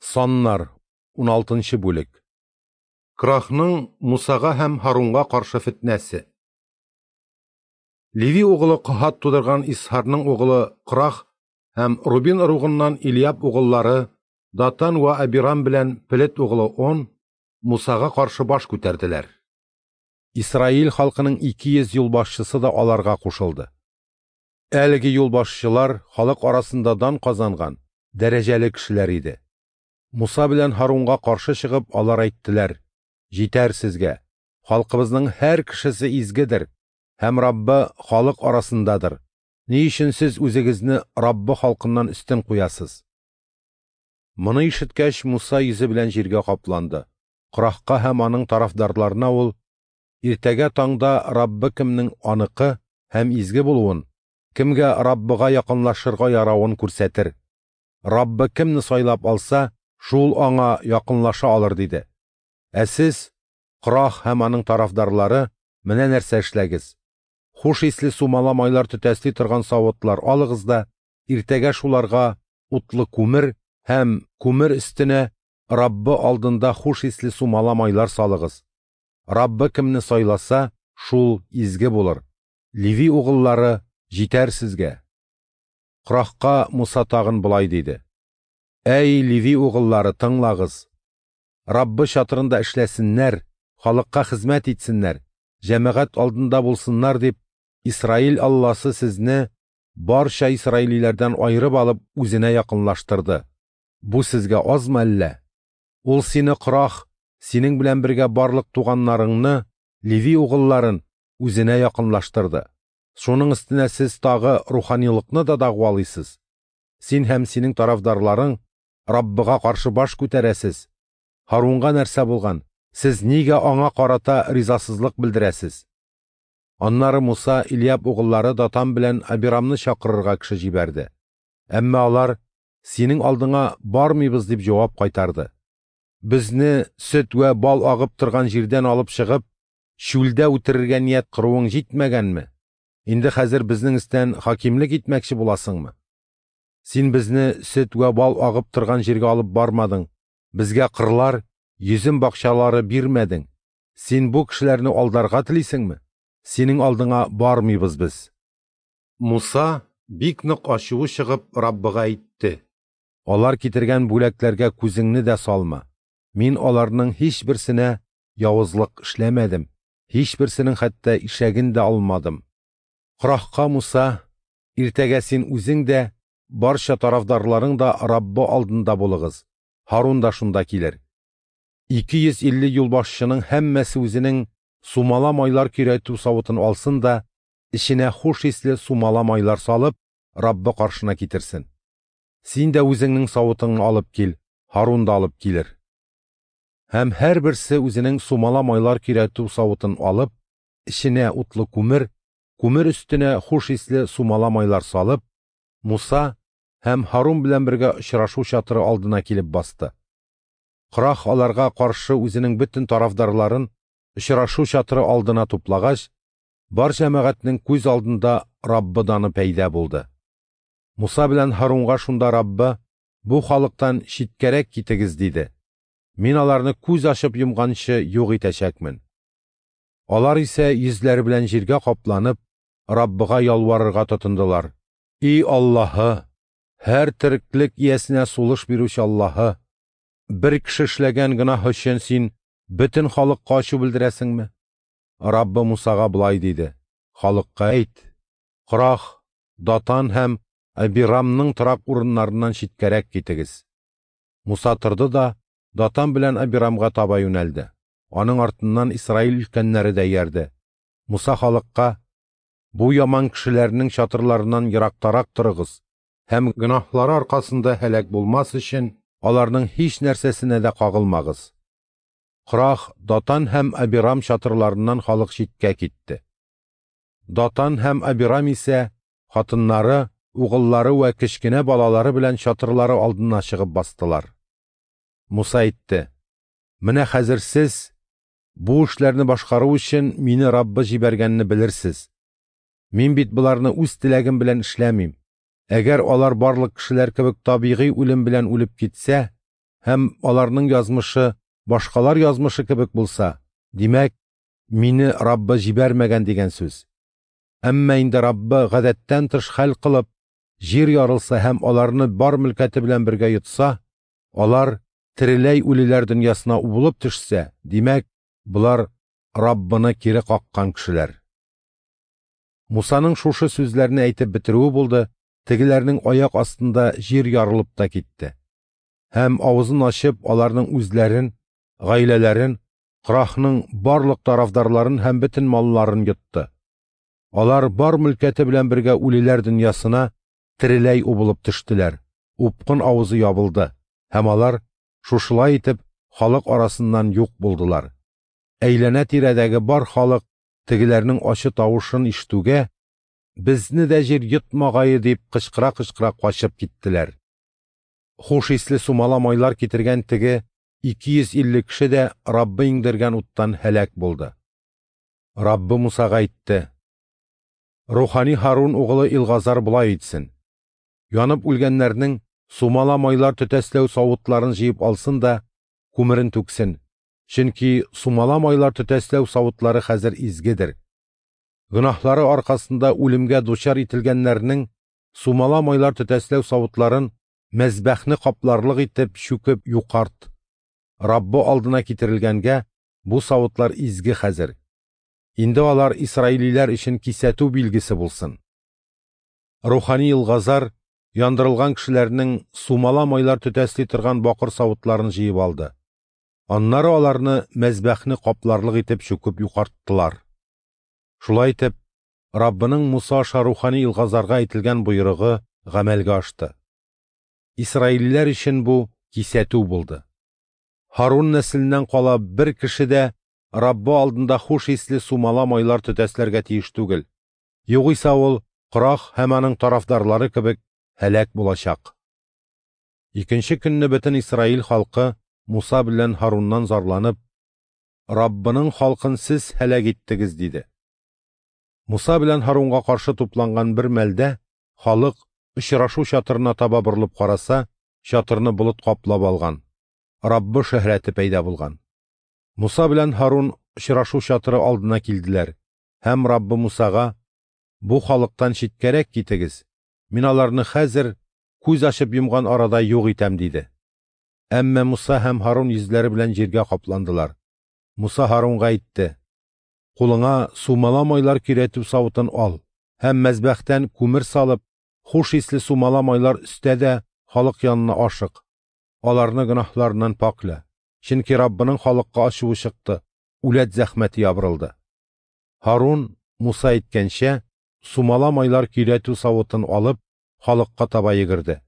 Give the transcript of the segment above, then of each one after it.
Саннар, 16 бүлек. Крахның Мусага һәм Һарунга каршы фетнәсе. Леви угылы Каһат тудырган Исһарның угылы Крах һәм Рубин ыругыннан Илиаб угыллары Датан вә Абирам белән Пелет угылы Он Мусага каршы баш күтәрделәр. Исраил халкының 200 юлбашчысы да аларга кушылды. Әлеге юлбашчылар халык арасында дан казанган, дәрәҗәле кешеләр иде. Муса белән Һарунга каршы чыгып, алар әйттеләр: «Җитәр сезгә! Халкыбызның һәр кешесе изгедер, һәм Раббы халык арасындадыр. Ни өчен сез үзегезне Раббы халкыннан өстен куясыз?» Моны ишеткәч, Муса йөзе белән җиргә капланды. Корахка һәм аның тарафдарларына ул: «Иртәгә таңда Раббы кемнең аныкы һәм изге булуын, кемгә Раббыга якынлашырга яравын күрсәтер. Раббы кемне сайлап алса, шул аңа якынлаша алыр», – диде. «Ә сез, Корах һәм аның тарафдарлары, менә нәрсә эшләгез: хуш исле сумала майлар төтәсли торган савытлар алыгыз да, иртәгә шуларга утлы күмер һәм күмер өстенә Раббы алдында хуш исле сумала майлар салыгыз. Раббы кемне сайласа, шул изге булыр. Леви угыллары, җитәр сезгә!» Корахка Муса тагын болай диде: «Әй, Леви угыллары, тыңлагыз! Раббы чатырында эшләсеннәр, халыкка хезмәт итсеннәр, җәмәгать алдында булсыннар дип, Исраил Алласы сезне барча исраилиләрдән аерып алып үзенә якынлаштырды. Бу сезгә азмы әллә? Ул сине, Корах, синең белән бергә барлык туганнарыңны, Леви угылларын, үзенә якынлаштырды. Шуның өстенә сез тагы руханилыкны да дәгъвалыйсыз. Син һәм синең тарафдарларың Раббыга каршы баш күтәрәсез. Һарунга нәрсә булган? Сез нигә аңа карата ризасызлык белдерәсез?» Аннары Муса Илиаб угыллары Датан белән Абирамны чакырырга кеше җибәрде. Әмма алар: «Синең алдыңа бармыйбыз», – дип җавап кайтарды. «Безне сөт вә бал агып торган җирдән алып чыгып, чүлдә үтерергә ният кыруың җитмәгәнме? Инде хәзер безнең өстән хакимлек итмәкче буласыңмы? Син безне сөт вә бал агып торган җиргә алып бармадың, безгә кырлар, йөзем бакчалары бирмәдең. Син бу кешеләрне алдарга телисеңме? Синең алдыңа бармыйбыз без». Муса, бик нык ачуы чыгып, Раббыга әйтте: «Алар китергән бүләкләргә күзеңне дә салма. Мин аларның һичберсенә явызлык эшләмәдем, һичберсенең хәтта ишәген дә алмадым». Корахка Муса: «Иртәгә син үзең дә, барча тарафдарларың да Раббы алдында булыгыз. Һарун да шунда килер. 250 юлбашчының һәммәсе үзенең сумала майлар көйрәтү савытын алсын да, эченә хуш исле сумала майлар салып, Раббы каршына китерсен. Син дә үзеңнең савытыңны алып кил, Һарун да алып килер». Һәм һәрберсе үзенең сумала майлар көйрәтү савытын алып, эченә утлы күмер, күмер өстенә хуш исле сумала майлар салып, Муса һәм Һарун белән бергә очрашу чатыры алдына килеп басты. Корах аларга каршы үзенең бөтен тарафдарларын очрашу чатыры алдына туплагач, бар җәмәгатьнең күз алдында Раббы даны пәйда булды. Муса белән Һарунга шунда Раббы: «Бу халыктан читкәрәк китегез», – диде. «Мин аларны күз ачып йомганчы юк итәчәкмен». Алар исә йөзләре белән җиргә капланып, Раббыга ялварырга тотындылар: «И Аллаһы, һәр тереклек иясенә сулыш бирүче Аллаһы, бер кеше эшләгән гөнаһ өчен син бөтен халыкка ачу белдерәсеңме?» Раббы Мусага болай диде: «Халыкка әйт: Корах, Датан һәм Абирамның торак урыннарыннан читкәрәк китегез». Муса торды да Датан белән Абирамга таба юнәлде. Аның артыннан Исраил өлкәннәре дә иярде. Муса халыкка: «Бу яман кешеләрнең чатырларыннан ерактарак торыгыз һәм гөнаһлары аркасында һәлак булмас өчен аларның һич нәрсәсенә дә кагылмагыз». Корах, Датан һәм Абирам чатырларыннан халык читкә китте. Датан һәм Абирам исә хатыннары, угыллары вә кечкенә балалары белән чатырлары алдына чыгып бастылар. Муса әйтте: «Менә хәзер сез бу эшләрне башкару өчен мине Раббы җибәргәнне белерсез. Мин бит боларны үз теләгем белән эшләмим. Әгәр алар барлык кешеләр кебек табигый үлем белән үлеп китсә, һәм аларның язмышы башкалар язмышы кебек булса, димәк, мине Раббы җибәрмәгән дигән сүз. Әмма инде Раббы гадәттән тыш хәл кылып, җир ярылса һәм аларны бар мөлкәте белән бергә йотса, алар тереләй үлеләр дөньясына убылып төшсә, димәк, болар Раббыны кире каккан кешеләр. Мусаның шушы сүзләрне әйтеп бетерүе булды, тегеләрнең аяк астында җир ярылып та китте. Һәм авызын ачып, аларның үзләрен, гаиләләрен, Корахның барлык тарафдарларын һәм бөтен малларын йотты. Алар бар мөлкәте белән бергә үлеләр дөньясына тереләй убылып төштеләр. Упкын авызы ябылды, һәм алар шушылай итеп халык арасыннан юк булдылар. Әйләнә-тирәдәге бар халык тегеләрнең ачы тавышын ишетүгә, «Безне дә җир йотмагае!» дип кычкыра-кычкыра качып киттеләр. Хуш исле сумала майлар китергән теге 250 кеше дә Раббы иңдергән уттан һәлак булды. Раббы Мусага әйтте: Рухани Һарун угылы Илгазар болай итсен: янып үлгәннәрнең сумала майлар төтәсләү савытларын җыеп алсын да күмерен түксен, чөнки сумала майлар төтәсләү савытлары хәзер изгедер. Гөнаһлары аркасында үлемгә дучар ителгәннәрнең сумала майлар төтәсләү савытларын мәзбәхне капларлык итеп чүкеп юкарт. Раббы алдына китерелгәнгә бу савытлар изге хәзер. Инде алар исраилиләр өчен кисәтү билгесе булсын. Рухани Илгазар яндырылган кешеләрнең сумала майлар төтәсли торган бакыр савытларын җыеп алды. Аннары аларны мәзбәхне капларлык итеп чүкеп юкарттылар. Шулай итеп, Раббының Муса аша рухани Илгазарга әйтелгән боерыгы гамәлгә ашты. Исраилиләр өчен бу кисәтү булды. Һарун нәселеннән кала бер кеше дә Раббы алдында хуш исле сумала майлар төтәсләргә тиеш түгел. Югыйсә ул Корах һәм аның тарафдарлары кебек һәлак булачак. Икенче көнне бөтен Исраил халкы Муса белән Һаруннан зарланып, «Раббының халкын сез һәлак иттегез», диде. Муса белән Һарунга каршы тупланган бер мәлдә халык очрашу чатырына таба борылып караса, чатырны болыт каплап алган, Раббы шөһрәте пәйда булган. Муса белән Һарун очрашу чатыры алдына килделәр һәм Раббы Мусага: «Бу халыктан читкәрәк китегез, мин аларны хәзер күз ачып йомган арада юк итәм», диде. Әмма Муса һәм Һарун йөзләре белән җиргә капландылар. Муса Һарунга әйтте: «Кулыңа сумала майлар көйрәтү савытын ал һәм мәзбәхтән күмер салып, хуш исле сумала майлар өстә дә халык янына ашык. Аларны гөнаһларыннан пакля, чөнки Раббының халыкка ачуы чыкты, үләт зәхмәте ябырылды». Һарун, Муса әйткәнчә, сумала майлар көйрәтү савытын алып, халыкка таба йөгерде.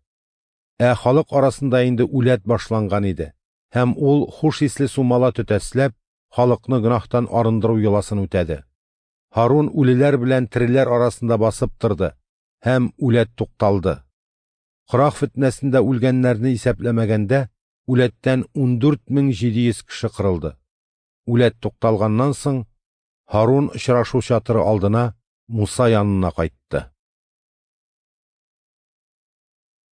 Ә халык арасында инде үләт башланган иде, һәм ул хуш исле сумала төтәсләп, халыкны гөнаһтан арындыру йоласын үтәде. Һарун үлеләр белән тереләр арасында басып торды, һәм үләт тукталды. Корах фетнәсендә үлгәннәрне исәпләмәгәндә, үләттән 14 700 кеше кырылды. Үләт тукталганнан соң, Һарун очрашу чатыры алдына Муса янына кайтты.